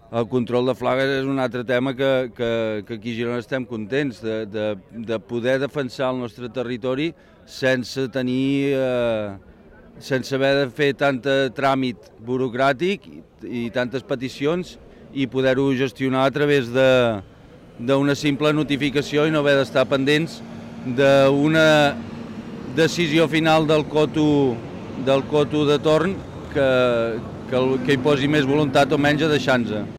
El control de flagues és un altre tema que aquí a Girona estem contents de poder defensar el nostre territori sense tenir, sense haver de fer tant tràmit burocràtic i tantes peticions i poder-ho gestionar a través d'una simple notificació i no haver d'estar pendents d'una decisió final del coto de torn que hi posi més voluntat o menys a deixar-nos.